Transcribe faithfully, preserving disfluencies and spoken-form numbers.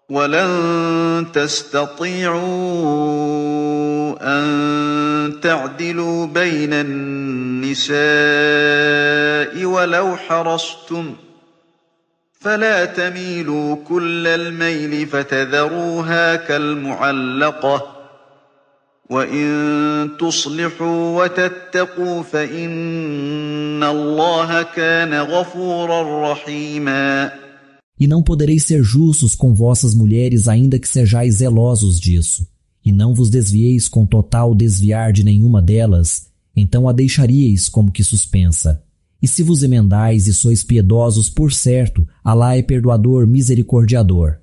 وَلَن تَسْتَطِيعُوا أَن تَعْدِلُوا بَيْنَ النِّسَاءِ وَلَوْ حَرَصْتُمْ فَلَا تَمِيلُوا كُلَّ الْمَيْلِ فَتَذَرُوهَا كَالْمُعَلَّقَةِ وَإِن تُصْلِحُوا وَتَتَّقُوا فَإِنَّ اللَّهَ كَانَ غَفُورًا رَّحِيمًا. E não podereis ser justos com vossas mulheres, ainda que sejais zelosos disso, e não vos desvieis com total desviar de nenhuma delas, então a deixaríeis como que suspensa. E se vos emendais e sois piedosos, por certo, Alá é perdoador, misericordiador.